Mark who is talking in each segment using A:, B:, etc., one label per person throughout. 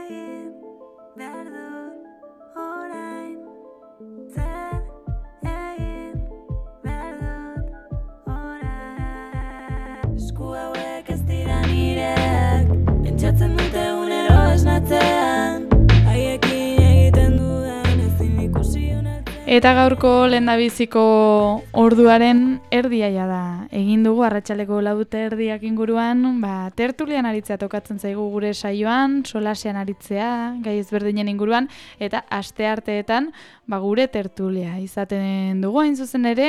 A: egin behar dut orain? Zer egin behar dut orain? Esku hauek ez dira nireak, pentsatzen dute egunero esnatzean, haiekin egiten dudan ezin ikusi unertzen.
B: Eta gaurko lehendabiziko orduaren erdiaia da. Egin dugu arratsaldeko 4:30 inguruan, tertulian aritzea tokatzen zaigu gure saioan, solasean aritzea, gai ezberdinen inguruan, eta astearteetan gure tertulia izaten dugu hain zuzen ere,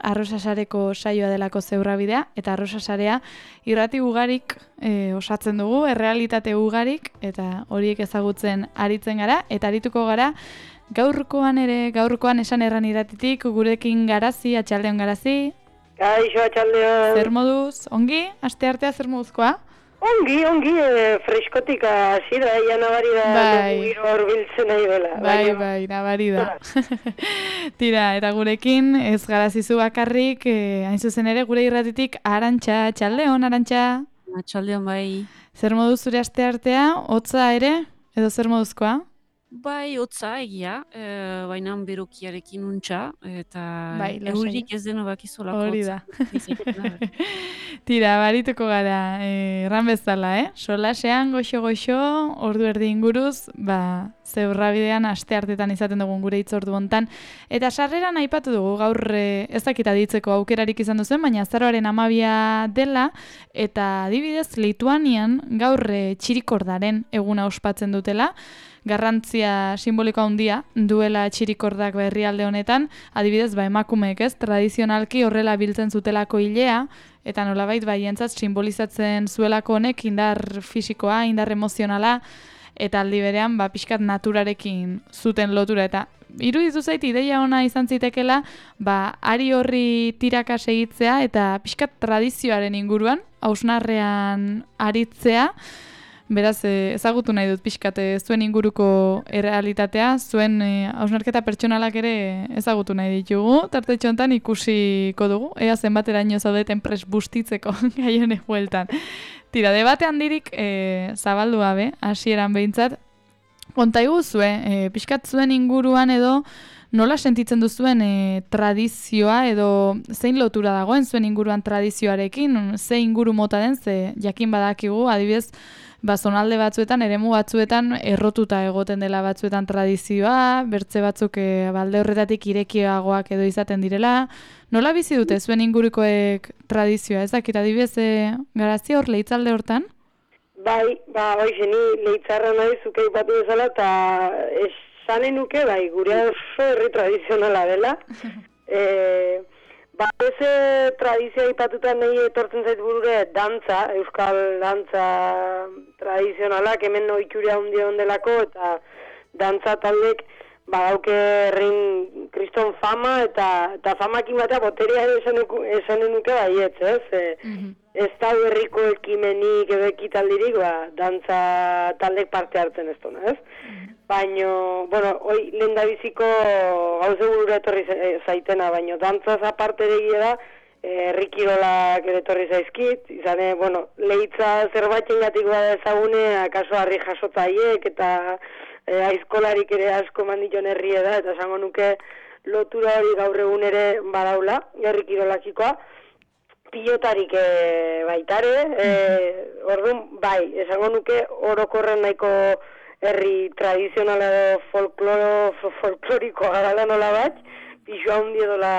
B: Arrosasareko saioa delako Zeurrabidea, eta Arrosasarea irrati ugarik osatzen dugu, errealitate ugarik, eta horiek ezagutzen aritzen gara, eta arituko gara gaurkoan esan erran irratitik, gurekin Garazi, atxaldeon Garazi.
C: Kaixo, atxaldeon.
B: Zer moduz? Ongi? Asteartea zer moduzkoa?
C: Ongi, freskotik hasi da, ja nabari da, giro horbiltzen nahi dela.
B: Bai, nabari da. Tira, eta gurekin ez Garazizu bakarrik, hain zuzen ere gure irratitik Arantxa, atxaldeon, Arantxa.
D: Atxaldeon bai.
B: Zer moduz zure asteartea, hotza ere, edo zer moduzkoa?
D: Bai, hotza egia, baina berokiarekin untxa, eta eurik ez deno bakizolako
B: hori da. Tira, barituko gara, erran bezala, solasean, goxo, ordu erdi inguruz, Zeurrabidean asteartetan izaten dugun gure hitzordu hontan. Eta sarreran aipatu dugu, gaur ez dakit aditzeko aukerarik izan duzen, baina azaroaren 12 dela, eta adibidez Lituanian gaur txirikordaren eguna ospatzen dutela, garrantzia simboliko handia duela txirikordak herrialde honetan, adibidez emakumeek tradizionalki horrela biltzen zutelako ilea, eta nolabait baientzat simbolizatzen zuelako honek indar fisikoa, indar emozionala, eta aldi berean pixkat naturarekin zuten lotura, eta iruditu zait ideia ona izan zitekela, ari horri tiraka segitzea eta pixkat tradizioaren inguruan, hausnarrean aritzea. Beraz, ezagutu nahi dut pixkat zuen inguruko errealitatea, zuen hausnarketa pertsonalak ere ezagutu nahi ditugu, tartetxo hontan ikusiko dugu, ea zenbateraino zaudeten prest bustitzeko gai honek bueltan. Tira, debate handirik zabaldu gabe, hasieran behintzat, konta iguzue, pixkat zuen inguruan edo nola sentitzen duzuen tradizioa edo zein lotura dagoen zuen inguruan tradizioarekin, ze inguru mota den, ze jakin badakigu, adibidez, zonalde batzuetan, eremu batzuetan errotuta egoten dela batzuetan tradizioa, bertze batzuk balde horretatik irekiagoak edo izaten direla. Nola bizi dute zuen ingurukoek tradizioa? Ez dakit, adibidez, Garazi hor lehitzalde hortan?
C: Bai, ni lehitzarra nahi zuke ipatu bezala, eta esanen nuke, gure oso herri tradizionala dela. Ez tradizioa ipatutan nahi etortzen zait burure dantza, euskal dantza tradizionalak, hemen ohitura handia ondelako, eta dantza taldek badauke herrin kriston fama, eta famakin batea boterea esanen nuke baietz, ez? Ez da herriko ekimenik edo ekitaldirik, dantza taldek parte hartzen ez duna, ez? Baina, hoi lehendabiziko gauze burura etorri zaitena, baina dantzaz aparte egia da, herrikirolak ere etorri zaizkit, izane, lehitza zerbaiten gatik bada ezagune, akaso harri jasotzaiek, eta aizkolarik ere asko manditon herrie da, eta esango nuke lotura hori gaur egun ere badaula, herrikirolakikoa, pilotarik baitare, orduan, esango nuke orokorren nahiko herri tradizionala edo folklorikoa garala nola bat, pixua hundi edola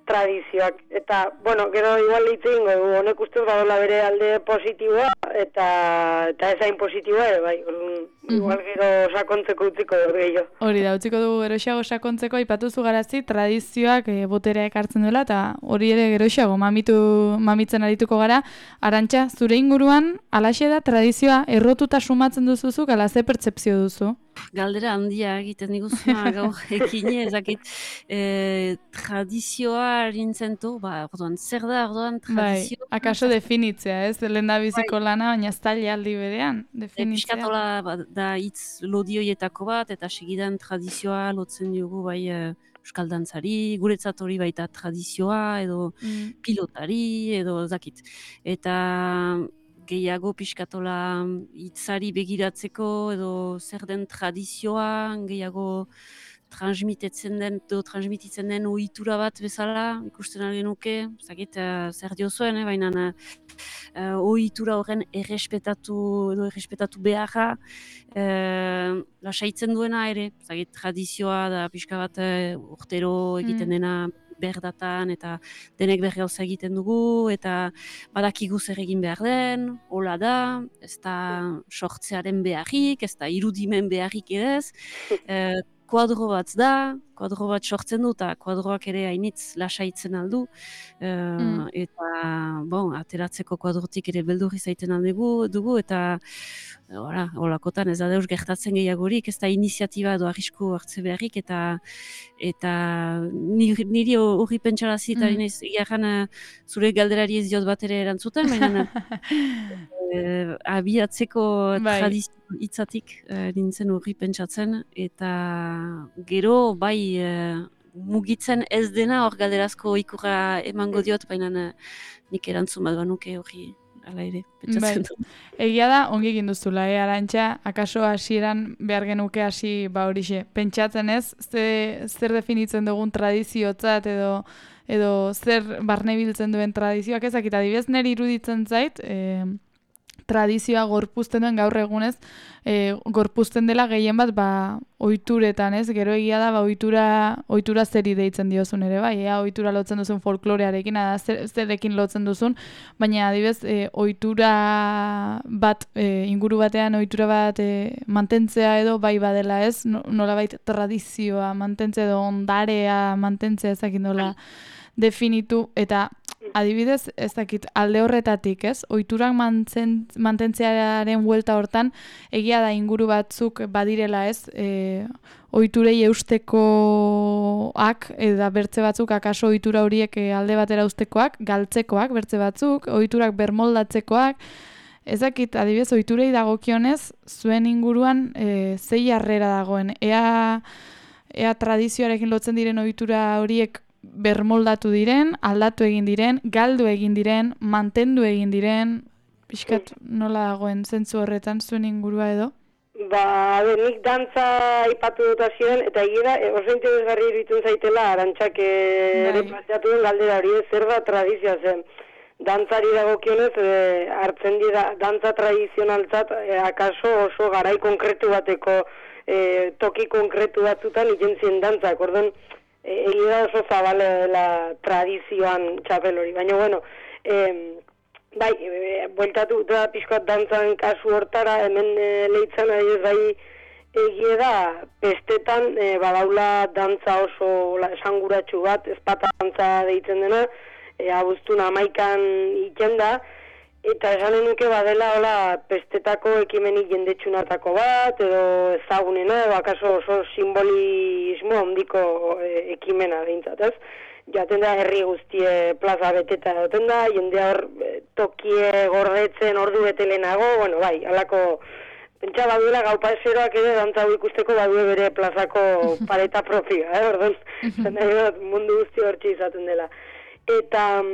C: tradizioak. Eta, gero igual lehitzen dugu, honek ustez badola bere alde positiboa, eta ezain positiboa, igual gero sakontzeko utziko dugu gehiago.
B: Hori da, utziko dugu geroxeago sakontzeko, aipatuzu Garazi, tradizioak boterea ekartzen duela, eta hori ere geroxeago mamitzen arituko gara. Arantxa, zure inguruan, alaxe da, tradizioa errotuta sumatzen duzuzuk, ala ze pertzepzio duzu?
D: Galdera handia egiten diguzua gaur ekine, ezakit tradizioa erintzen du, orduan, zer da orduan tradizioa?
B: Bai, akaso definitzea, ez? Lehendabiziko lana, baina ez taile aldi berean, definitzea.
D: Piskatola da hitz lodioietako bat, eta segidan tradizioa lotzen dugu euskal dantzari, guretzat hori baita tradizioa, edo pilotari, edo ezakit. Eta gehiago pixkatola hitzari begiratzeko edo zer den tradizioa gehiago transmititzen den ohitura bat bezala ikusten ari genuke, zakit zer diozuen, baina ohitura horren errespetatu beharra lasaitzen duena ere, zakit tradizioa da pixka bat urtero egiten dena berdatan eta denek bergauza egiten dugu eta badakigu zer egin behar den, hola da, ez da sortzearen beharrik, ez da irudimen beharrik edez, kuadro bat da, kuadro bat sortzen du eta kuadroak ere hainitz lasaitzen aldu eta ateratzeko kuadrotik ere beldurri zaiten dugu eta holakotan ez da deus gertatzen gehiagorik, ez da iniziatiba edo arrisku hartze beharrik eta niri hori pentsarazi eta egiaran zure galderari ez diot bat ere erantzuten, baina abiatzeko tradizio hitzatik nintzen hori pentsatzen eta gero bai mugitzen ez dena hor galderazko ikurra emango diot, baina nik erantzun bat banuke hori ala ere pentsatzen dut.
B: Egia da, ongi egin duzula, Arantxa, akaso hasieran behar genuke hasi horixe, pentsatzen ez, zer definitzen dugun tradiziotzat edo zer barnebiltzen duen tradizioak ezakit, adibidez niri iruditzen zait, tradizioa gorpuzten duen gaur egunez, gorpuzten dela gehien bat ohituretan, ez? Gero egia da ohitura zeri deitzen diozun ere, bai, ohitura lotzen duzun folklorearekin, zerekin lotzen duzun, baina adibidez ohitura bat inguru batean ohitura bat mantentzea edo bai badela, ez? Nolabait tradizioa mantentzea edo ondarea mantentzea ezakin nola definitu eta adibidez, ez dakit, alde horretatik, ez? Ohiturak mantentzearen buelta hortan, egia da inguru batzuk badirela, ez? Ohiturei eustekoak, eta bertze batzuk, akaso ohitura horiek alde batera uztekoak, galtzekoak, bertze batzuk, ohiturak bermoldatzekoak, ez dakit, adibidez, ohiturei dagokionez, zuen inguruan zei harrera dagoen. Ea tradizioarekin lotzen diren ohitura horiek bermoldatu diren, aldatu egin diren, galdu egin diren, mantendu egin diren, pixkat nola dagoen zentzu horretan zuen ingurua edo?
C: Nik dantza aipatu dut hasieran eta egia oso interesgarri iruditzen zaitela Arantxak ere planteatu den galdera hori, zer da tradizioa zen. Dantzari dagokionez hartzen dira dantza tradizionaltzat akaso oso garai konkretu bateko toki konkretu batzutan ikentzien dantzak, orduan egia oso zabalela tradizioan txapel hori, baina bueno, bai, bueltatu da pixkoat dantzan kasu hortara, hemen lehitzan adibidez bai egia da, bestetan badaula dantza oso esanguratsu bat, ezpata dantza deitzen dena, abuztun 11an iken da, eta esanen nuke badela hola pestetako ekimenik jendetsunatako bat, edo ezagunena, edo akaso oso simbolismo handiko ekimena behintzat, ez? Jaten da herri guztie plaza beteta egoten da, jendea hor tokie gordetzen ordu bete lehenago, bueno, bai, halako pentsa baduela gau paseroak ere dantza ikusteko badue bere plazako pareta propioa, orduan, mundu guzti hortxe izaten dela. Eta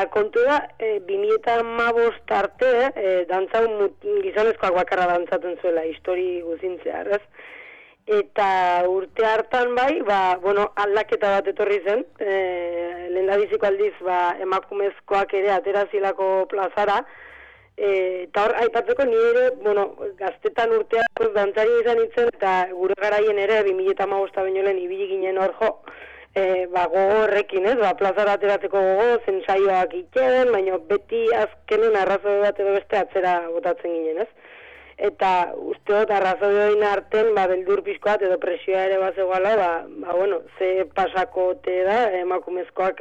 C: kontu da, 2015 arte, dantza gizonezkoak bakarra dantzaten zuela, histori guzintzear, ez? Eta urte hartan bai, aldaketa bat etorri zen, lehendabiziko aldiz emakumezkoak ere aterazilako plazara, eta hor, aipatzeko ni ere, gaztetan urteak dantzari izan itzen, eta gure garaien ere 2015 baino lehen ibili ginen hor jo, gogo horrekin, ez, plazara ateratzeko gogo, zensaioak itxeden, baina beti azkenen arrazoi bat edo beste atzera botatzen ginen, ez? Eta uste dut arrazoioin arten, beldur pixkoat edo presioa ere bazegoala, ze pasakote da, emakumezkoak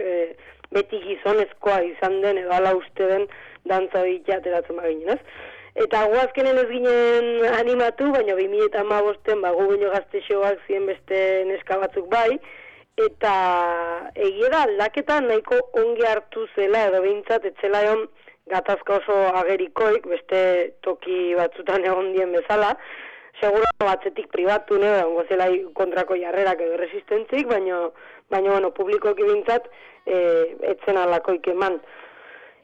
C: beti gizonezkoa izan den, edo ala uste den dantza horiek ateratzen baginen, ez? Eta guazkenen ez ginen animatu, baina 2015-en, gu baino gaztexoak ziren beste neska batzuk bai, eta egia da aldaketa nahiko ongi hartu zela, edo behintzat, etzela egon gatazka oso agerikoik, beste toki batzutan egon dien bezala, segura batzetik pribatu, ongo zela kontrako jarrerak edo resistentzik, baina publikoki bintzat etzen alakoik eman.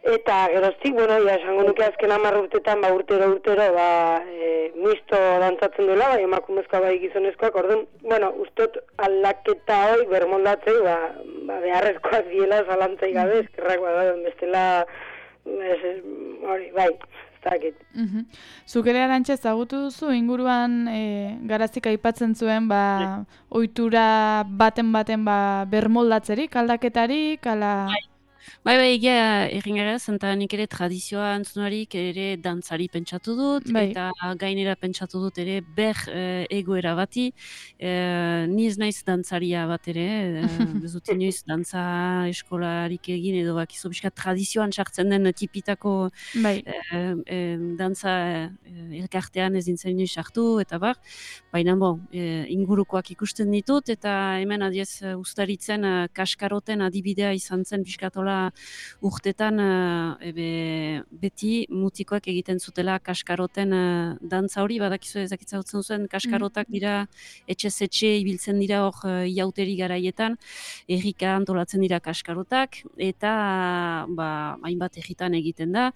C: Eta geroztik, bueno, ja, esango nuke azken 10 urtetan, urtero, misto dantzatzen duela, bai, emakumezkoa bai gizonezkoak, orduan, bueno, ustot aldaketa hori bermoldatzei, beharrezkoak diela zalantzai gabe, eskerrak bestela, hori, bai, ez dakit.
B: Zuk ere Arantxa ezagutu duzu, inguruan Garazik aipatzen zuen, ohitura baten bermoldatzerik, aldaketarik, ala...
D: Bai, egia egin gara, zenta nik ere tradizioa antzunarik ere dantzari pentsatu dut, eta gainera pentsatu dut ere egoera bati, ni ez naiz dantzaria bat ere, ez dut inoiz dantza eskolarik egin edo bakizu pixka tradizioan sartzen den tipitako dantza elkartean ez dintzen inoiz sartu, eta baina ingurukoak ikusten ditut, eta hemen adiez ustaritzen kaskaroten adibidea izan zen pixkatola urtetan beti mutikoak egiten zutela kaskaroten dantza hori, badakizu ezakitzatzen zuen kaskarotak dira, etxe ibiltzen dira hor iauteri garaietan, errika antolatzen dira kaskarotak, eta hainbat erritan egiten da,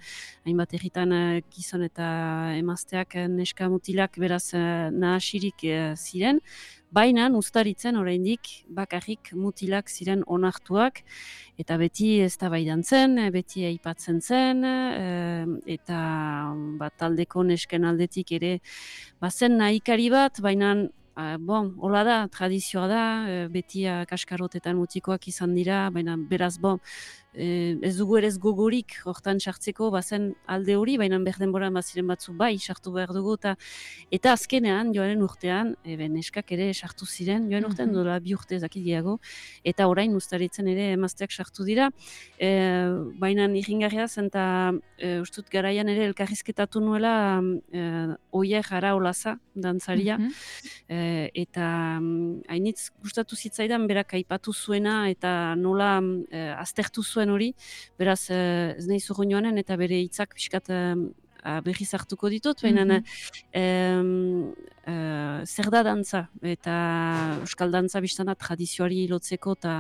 D: hainbat erritan gizon eta emazteak neska mutilak beraz nahasirik ziren, baina ustaritzen oraindik bakarrik mutilak ziren onartuak, eta beti eztabaidan zen, beti aipatzen zen, eta taldeko nesken aldetik ere bazen nahikari bat, baina hola da, tradizioa da, beti kaskarotetan mutikoak izan dira, baina beraz ez dugu ere gogorik hortan sartzeko bazen alde hori, baina berdenboran baziren batzu sartu behar dugu, eta azkenean, joaren urtean, neskak ere sartu ziren, joan urtean dola 2 urte ezakit gehiago, eta orain ustaritzen ere emazteak sartu dira, baina irringarria zen, eta ustut garaian ere elkarrizketatu nuela Oier Araolaza dantzaria, eta hainitz gustatu zitzaidan berak aipatu zuena, eta nola aztertu zuen hori, beraz ez nahi zurru joanen, eta bere hitzak pixkat berriz hartuko ditut, baina zer da dantza, eta euskal dantza biztana tradizioari lotzeko eta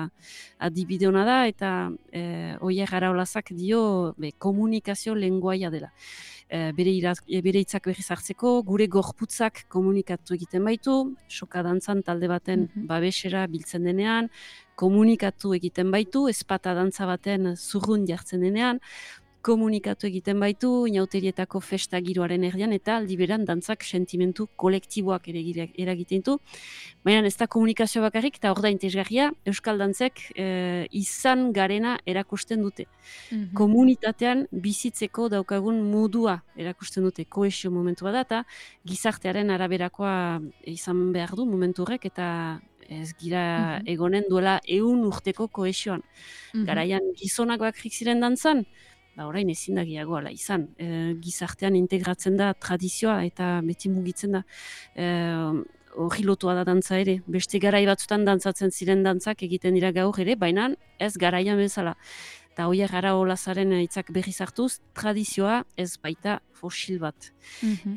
D: adibide hona da, eta Oier Araolazak dio komunikazio lenguaia dela. Bere hitzak berriz hartzeko, gure gorputzak komunikatu egiten baitu, soka dantzan talde baten babesera biltzen denean, komunikatu egiten baitu, ezpata dantza baten zurrun jartzen denean, komunikatu egiten baitu, inauterietako festa giroaren erdian, eta aldi beran dantzak sentimentu kolektiboak ere eragiten du. Baina ez da komunikazio bakarrik, eta hor da interesgarria, euskal dantzek izan garena erakusten dute. Komunitatean bizitzeko daukagun modua erakusten dute, kohesio momentua da, eta gizartearen araberakoa izan behar du momentu horrek, eta ez gira egonen duela 100 urteko kohesioan. Garaian gizonak bakrik ziren dantzan, orain ezin da gehiago ala izan. Gizartean integratzen da tradizioa eta beti mugitzen da. Hori lotua da dantza ere. Beste garai batzutan dantzatzen ziren dantzak egiten dira gaur ere, baina ez garaian bezala. Eta Oier Araolazaren hitzak berriz hartuz, tradizioa ez baita fosil bat.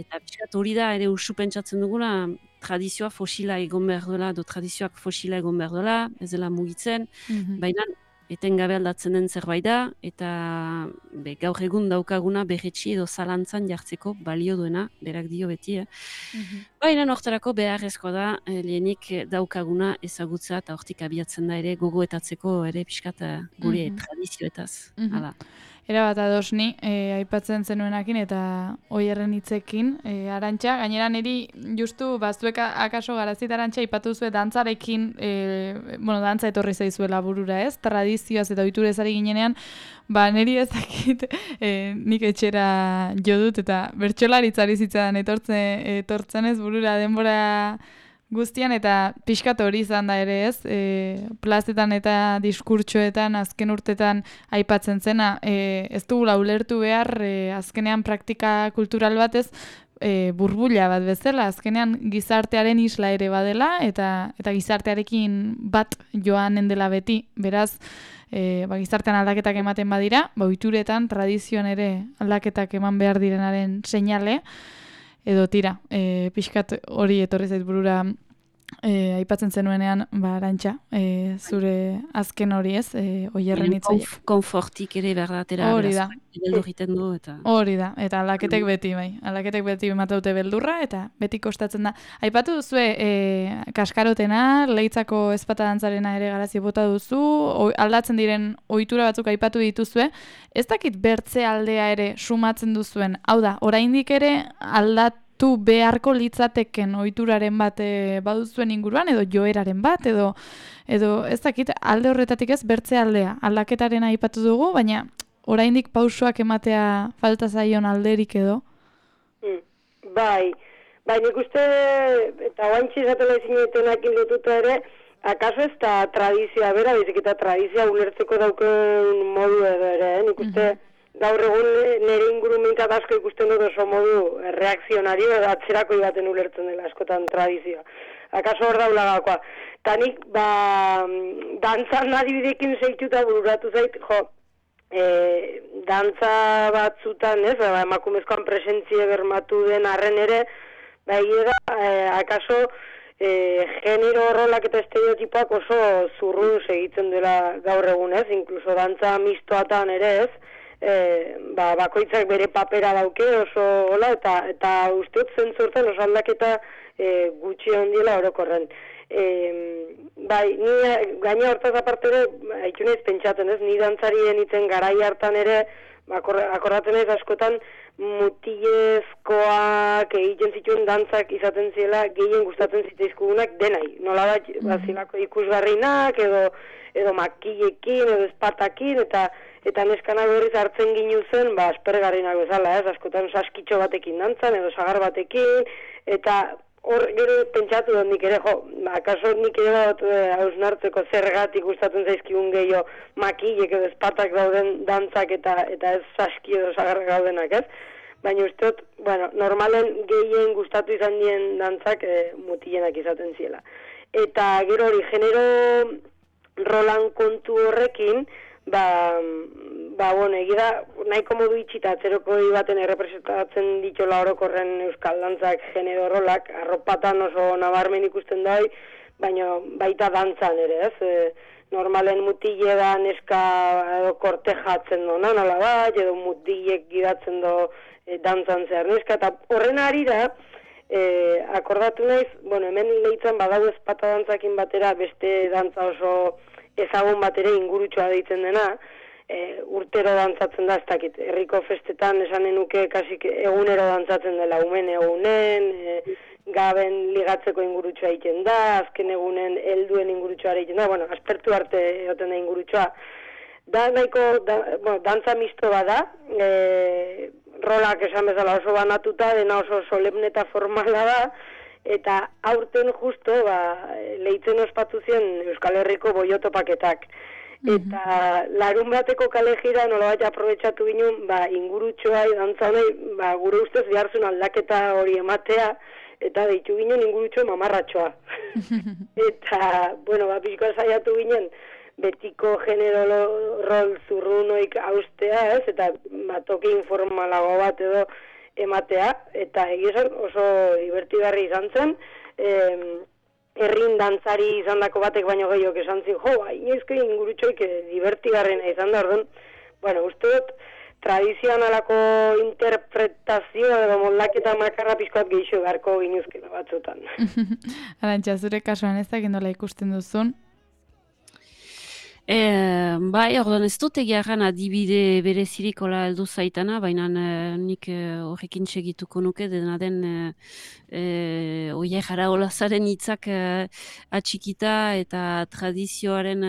D: Eta pixkat hori da ere usu pentsatzen dugula, tradizioa fosila egon behar duela, tradizioak fosila egon behar duela, ez dela mugitzen, baina etengabe aldatzen den zerbait da, eta gaur egun daukaguna berretsi edo zalantzan jartzeko balio duena, berak dio beti. Baina nortarako beharrezkoa da, lehenik daukaguna ezagutza eta hortik abiatzen da ere gogoetatzeko ere pixkat gure tradizioetaz.
B: Era bat adosni, aipatzen zenuenakin eta Oierren hitzekin, Arantxa, gainera niri justu zuek akaso Garazit Arantxa aipatu zuen dantzarekin, dantza etorri zaizuela burura, ez? Tradizioaz eta ohiturez ari ginenean, niri ez dakit nik etxera jo dut eta bertsolaritzari zitzaidan etortzen ez burura denbora guztian, eta pixkat hori izan da ere ez, plazetan eta diskurtsoetan azken urtetan aipatzen zena, ez dugula ulertu behar, azkenean praktika kultural batez, burbuila bat bezala, azkenean gizartearen isla ere badela, eta gizartearekin bat joanen dela beti, beraz, gizartean aldaketak ematen badira, ohituretan, tradizioan ere aldaketak eman behar direnaren seinale, edo tira, pixkat hori etorri zait burura aipatzen zenuenean, Arantxa, zure azken hori ez, Oierren hitzaiek.
D: Konfortik ere berdatera,
B: Hori da.
D: beldur egiten du, eta...
B: Hori da, eta aldaketek beti, aldaketek beti emateute beldurra, eta beti kostatzen da. Aipatu duzue, kaskarotena, Leitzako ezpata dantzarena ere garazi bota duzu, aldatzen diren ohitura batzuk aipatu dituzue, ez dakit bertze aldea ere sumatzen duzuen, hau da, oraindik ere aldatu beharko litzateken ohituraren bat baduzuen inguruan, edo joeraren bat, edo ez dakit alde horretatik ez bertze aldea, aldaketaren aipatu dugu, baina oraindik pausoak ematea falta zaion alderik edo?
C: Bai, nik uste, eta oantxe izatela izinetenak lotuta ere, akaso ez da tradizioa bera, bizik eta tradizioa ulertzeko dauken modu edo ere, nik uste gaur egun nire ingurumenkat asko ikusten dut oso modu reakzionario edo atzerako baten ulertzen dela askotan tradizioa. Akaso hor daula gakoa. Eta nik, dantzan adibidekin zeituta bururatu zait, dantza batzutan, ez, emakumezkoan presentzia bermatu den arren ere, akaso genero rolak eta estereotipoak oso zurrun segitzen dela gaur egun, ez, inkluso dantza mistoatan ere, ez, bakoitzak bere papera dauke oso hola, eta uste dut zentzortan oso aldaketa gutxi handiela orokorren. Ni gaina hortaz aparte ere, haitu nahiz pentsatzen ez, ni dantzarien itzen garai hartan ere, akordaten ez askotan mutilezkoak egiten zituen dantzak izaten ziela gehien gustatzen zitzaizkugunak denai. Nola bat, bazilako ikusgarrinak, edo makillekin, edo espatakin, eta neskanak berriz hartzen ginu zen, aspergarrinak bezala, ez, askotan saskitxo batekin dantzan, edo sagar batekin, eta hor gero pentsatu dut nik ere, akaso nik ere bat hausnartzeko zergatik gustatzen zaizkigun gehiago makillek edo espatak dauden dantzak eta ez saski edo sagarrak daudenak, ez? Baina uste dut, normalen gehien gustatu izan dien dantzak mutilenak izaten ziela. Eta gero hori, genero rolan kontu horrekin, egira, nahiko modu itxita atzeroko baten errepresentatzen ditola orokorren euskal dantzak genero rolak, arropatan oso nabarmen ikusten da, baina baita dantzan ere, ez? Normalen mutile da neska kortejatzen do, nola bat, edo mutilek gidatzen do dantzan zehar neska, eta horren arira, akordatu naiz, hemen Leitzan badago ezpata dantzakin batera beste dantza oso ezagun bat ere ingurutxoa deitzen dena, urtero dantzatzen da, ez dakit, herriko festetan esanen nuke kasik egunero dantzatzen dela, umen egunen, gaben ligatzeko ingurutxoa egiten da, azken egunen helduen ingurutxoa egiten da, aspertu arte egoten da ingurutxoa. Da nahiko, dantza misto bada, rolak esan bezala oso banatuta, dena oso solemne eta formala da, eta aurten justo, Leitzen ospatu zien Euskal Herriko boiotopaketak. Eta larun bateko kale jira nolabait aprobetxatu ginen, ingurutxoa, dantzanei, gure ustez beharzun aldaketa hori ematea, eta deitu ginen ingurutxo mamarratxoa. Eta, pixkoa saiatu ginen, betiko genero rol zurrunoik austea, ez, eta toki informalago bat edo ematea, eta egizan oso divertigarri izan zen, herrin dantzari izan dako batek baino gehiok esan zin, inoizko ingurutxoik divertigarrena izan da, orduan, uste dut, tradizioan alako interpretazio edo moldaketa makarra pixkoat gehiago beharko ginuzkena batzutan.
B: Arantxa, zure kasuan ez dakit nola ikusten duzun?
D: Orduan ez dut egiarran adibide berezirik hola heldu zaitana, baina nik horrekin segituko nuke, dena den oier jara olazaren hitzak atxikita eta tradizioaren,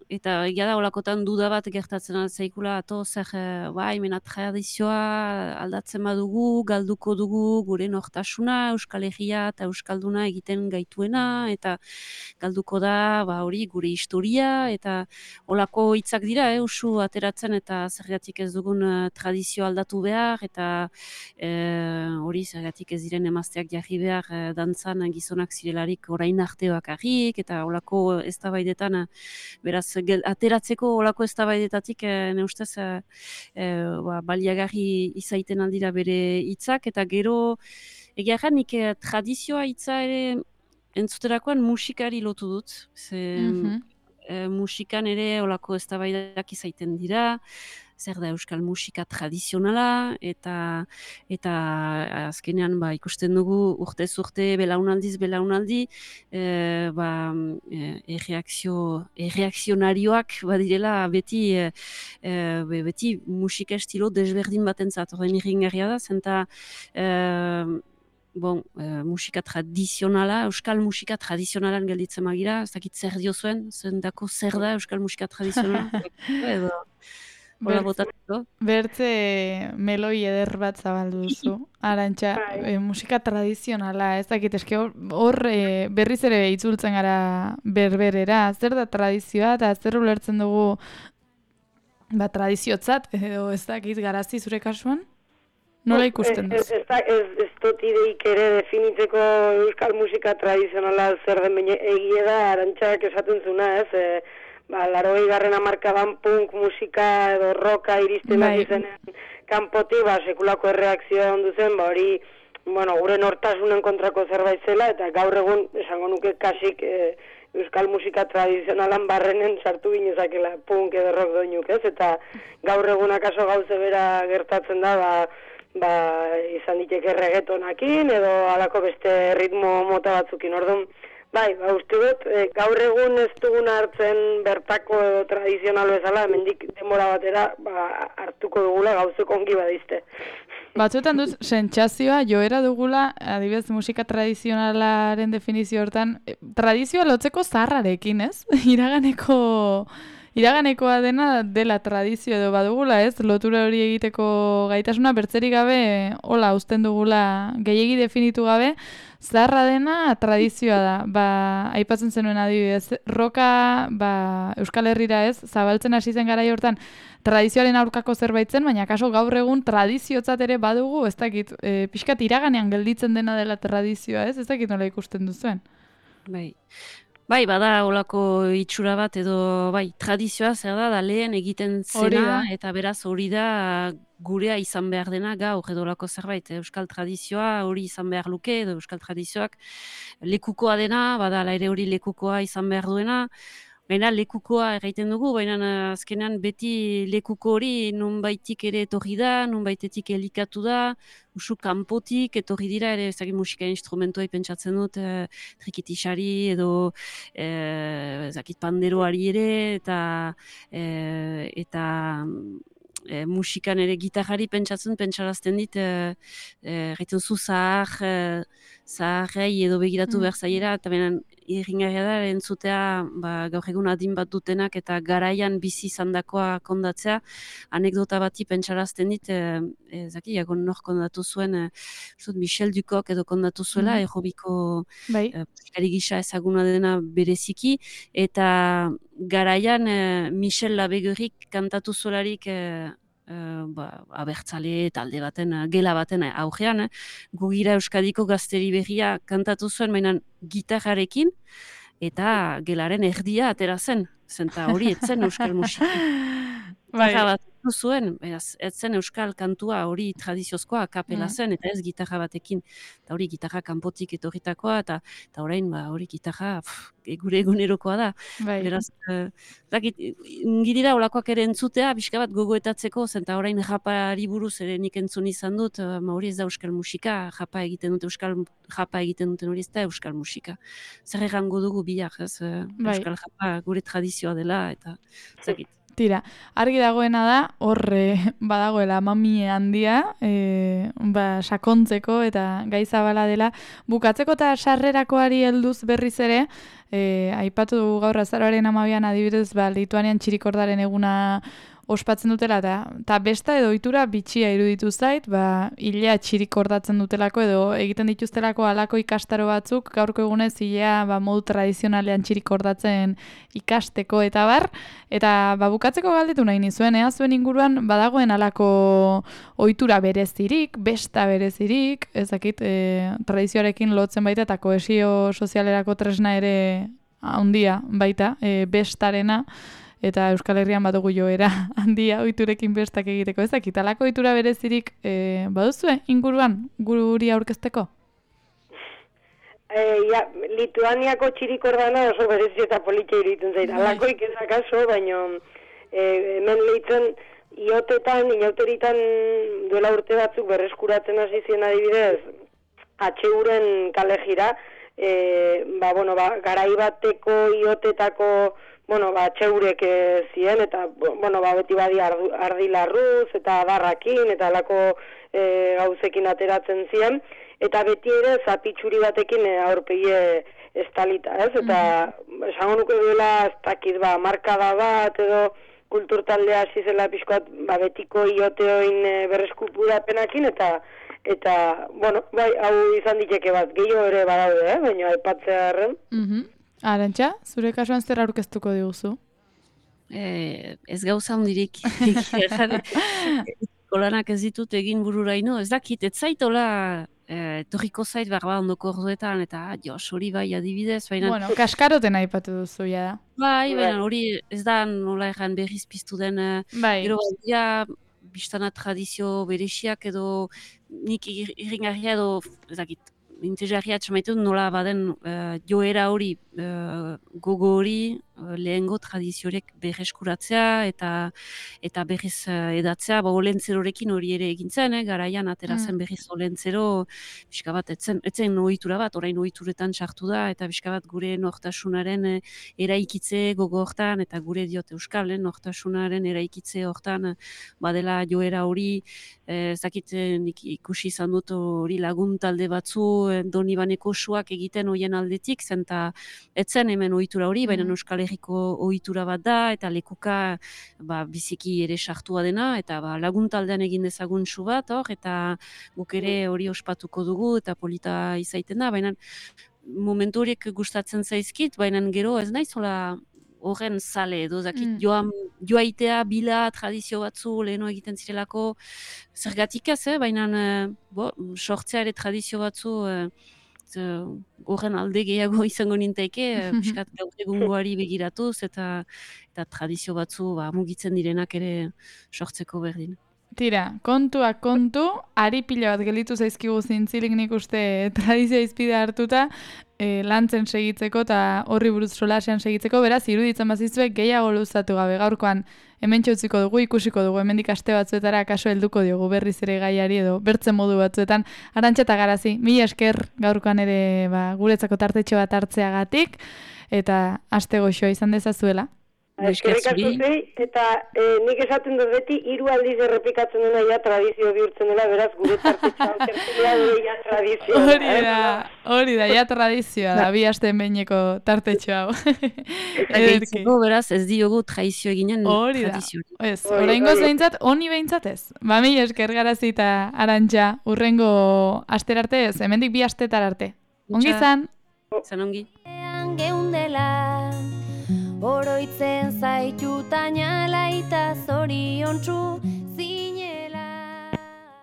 D: eta egia da olakotan duda bat gertatzen altzaikula, zer, mena tradizioa aldatzen badugu, galduko dugu gure nortasuna, Euskal Herria eta Euskalduna egiten gaituena, eta galduko da hori gure historia, eta olako hitzak dira, usu ateratzen eta zergatik ez dugun tradizio aldatu behar, eta hori zergatik ez diren emazteak jarri behar dantzan gizonak zirelarik orain arte bakarrik, eta olako eztabaidetan, beraz, ateratzeko olako eztabaidetatik ne ustez baliagarri izaiten aldira bere hitzak, eta gero egia nik tradizioa hitza ere entzuterakoan musikari lotu dut. Musikan ere olako eztabaidak izaiten dira, zer da euskal musika tradizionala, eta azkenean ikusten dugu urtez urte belaunaldi, erreakzionarioak badirela beti musika estilo desberdin batentzat. Horren irringarria da, zenta musika tradizionala, euskal musika tradizionalan gelditzen magira, ez dakit zer dio zendako zer da euskal musika tradizionala, edo hola botatzeko.
B: Bertze meloi eder bat zabaldu duzu, Arantxa, musika tradizionala, ez dakit, eske hor berriz ere itzultzen gara berberera, zer da tradizioa, eta zer ulertzen dugu tradiziotzat, edo ez dakit garazi zure kasuan? Nola ikusten duzu?
C: Ez dut ideik ere definitzeko euskal musika tradizionala zer den egia da, Arantxak esaten zuna, ez? 80. hamarkadan punk musika edo roka iristen zenen kanpotik, sekulako erreakzioa ondu zen, hori gure nortasunen kontrako zerbait zela, eta gaur egun esango nuke kasik euskal musika tradizionalan barrenen sartu ginezakela punk edo rock doinuk, ez? Eta gaur egun akaso gauze bera gertatzen da, izan diteke reggaetonakin edo halako beste ritmo mota batzukin. Orduan, uste dut, gaur egun ez duguna hartzen bertako edo tradizionalo ezala, hemendik denbora batera hartuko dugula gauzeko ongi badizte.
B: Batzuetan duz, sentsazioa joera dugula, adibidez musika tradizionalaren definizio hortan, tradizioa lotzeko zaharrarekin, ez? Iraganekoa dela tradizio edo badugula, ez? Lotura hori egiteko gaitasuna bertzerik gabe, hola, uzten dugula gehiegi definitu gabe, zaharra dena tradizioa da. Aipatzen zenuen adibidez, roka, Euskal Herrira, ez? Zabaltzen hasi zen garai hortan tradizioaren aurkako zerbait zen, baina kaso gaur egun tradiziotzat ere badugu, ez dakit, pixkat iraganean gelditzen dena dela tradizioa, ez? Ez dakit nola ikusten duzuen.
D: Bada olako itxura bat edo tradizioa zer da lehen egiten zena, eta beraz hori da gurea izan behar dena gaur edo olako zerbait. Euskal tradizioa hori izan behar luke, edo euskal tradizioak lekukoa dena, badala ere hori lekukoa izan behar duena, baina lekukoa erraiten dugu, baina azkenean beti lekuko hori nonbaitik ere etorri da, nonbaitetik elikatu da, usu kanpotik etorri dira ere ezagin musika instrumentuai pentsatzen dut, trikitisari edo ezakit panderoari ere, eta musikan ere gitarrari pentsarazten dit, erraiten zu zaharrei edo begiratu behar zaiera, eta benen irringarria da entzutea gaur egun adin bat dutenak eta garaian bizi izandakoa kondatzea, anekdota bati pentsarazten dit, jagon nor kondatu zuen, Michel Ducoc edo kondatu zuela, errobiko musikari gisa ezaguna dena bereziki, eta garaian Michel Labegurik kantatu zuelarik abertzale talde baten, gela baten aurrean, Gugira Euskadiko gazteri berria kantatu zuen, mainan gitarrarekin, eta gelaren erdia atera zen, zenta hori etzen euskal musika. Gitarra bat zuen, etzen euskal kantua hori tradiziozkoa kapela zen, eta ez gitarra batekin, eta hori gitarra kanpotik etorritakoa, eta orain hori gitarra gure egunerokoa da. Beraz, ngidira olakoak ere entzutea, pixka bat gogoetatzeko, zenta orain japari buruz ere nik entzun izan dut, hori ez da euskal musika, japa egiten duten hori ez da euskal musika. Zer errango dugu biak, euskal japa gure tradizioa dela, eta zakit.
B: Tira, argi dagoena da, horre badagoela mamie handia, sakontzeko eta gai zabala dela. Bukatzeko eta sarrerakoari helduz berriz ere, aipatu dugu gaur azaroaren 12an adibidez, Lituanian txirikordaren eguna ospatzen dutela, eta besta edo ohitura bitxia iruditu zait, hilea txirikordatzen dutelako edo egiten dituztelako halako ikastaro batzuk, gaurko egunez hilea modu tradizionalean txirikordatzen ikasteko eta bar, eta bukatzeko galdetu nahi nizuen, zuen inguruan badagoen halako ohitura berezirik, besta berezirik, ezakit tradizioarekin lotzen baita eta kohesio sozialerako tresna ere handia baita, bestarena, eta Euskal Herrian badugu joera handia ohiturekin bestak egiteko. Ez dakit, halako ohitura berezirik baduzue inguruan guri aurkezteko?
C: Lituaniako txirikordana oso berezi eta politia iruditzen zait. Alakoik ez akaso, baina hemen lehitzen inauteritan duela urte batzuk berreskuratzen hasi zien adibidez, HUren kale jira, garai bateko iotetako, HUrek ziren, eta, beti badi ardilarruz, eta adarrakin, eta alako gauzekin ateratzen ziren, eta beti ere zapitxuri batekin aurpegie estalita, ez? Eta, esango nuke duela, ez dakit, markada bat, edo kultur taldea hasi zela pixkoat, betiko ioteoin berreskupurapenakin, eta, hau izan diteke bat, gehiago ere badaude, baina aipatzea erren.
B: Arantxa, zure kasuan zer aurkeztuko diguzu?
D: Ez gauza hundirik. Kolanak ez ditut egin bururaino, ez dakit, ez zaitola etorriko zait ondoko orduetan, eta hori bai adibidez, baina...
B: Kaskaroten aipatu duzu, ja da.
D: Bai, baina hori ez da nola erran berriz piztu den, gero badia, biztana tradizio berexiak edo nik irringarria edo, ez dakit, interesgarria txamaitu nola baden joera hori, gogo hori, lehengo tradiziorek berreskuratzea eta berriz edatzea, olentzerorekin hori ere egintzen, garaian aterazen berriz olentzero, pixka bat, etzen ohitura bat, orain ohituretan sartu da, eta pixka bat gure nortasunaren eraikitze gogo hortan, eta gure diot euskal, nortasunaren eraikitze hortan, badela joera hori, zakit nik ikusi izan dut hori lagun talde batzu, Donibaneko suak egiten hoien aldetik, zenta etzen hemen ohitura hori, baina Euskal Herriko ohitura bat da, eta lekuka biziki ere sartua dena, eta lagun taldean egin dezagun su bat, eta guk ere hori ospatuko dugu, eta polita izaiten da, baina momentu horiek gustatzen zaizkit, baina gero ez naizola horren zale, edo zakit joaitea, bila, tradizio batzu, leheno egiten zirelako, zergatik ez, baina sortzea ere tradizio batzu, horren alde gehiago izango nintaike, piskat gaur egungoari begiratuz, eta tradizio batzu mugitzen direnak ere sortzeko berdin.
B: Tira, kontuak kontu, ari pila bat gelitu zaizkigu zintzilik nik uste tradizioa izpide hartuta, lantzen segitzeko eta horri buruz solasean segitzeko, beraz, iruditzen bazizuek gehiago luzatu gabe gaurkoan hemen txutziko dugu, ikusiko dugu, hemendik aste batzuetara kaso helduko diogu berriz ere gaiari edo bertzen modu batzuetan. Arantxa eta Garazi, mila esker gaurkoan ere guretzako tartetxo bat hartzeagatik, eta aste goxoa izan dezazuela.
C: Eskerrik asko zei, eta nik esaten dut beti, 3 aldiz errepikatzen dena ja tradizio bihurtzen dela, beraz gure tartetxoa tertulia gure ja tradizioa.
B: Hori da, ja tradizioa da, 2 asteen behineko tartetxoa hau.
D: Eta beraz ez diogu tradizio eginen tradizio.
B: Ez, horrengo behintzat, honi behintzat ez. Mila esker Garazi eta Arantxa, urrengo astera arte ez, hemendik 2 astetar arte. Ongi zan?
D: Zan ongi.
A: Oroitzen zaitutaina laita zoriontsu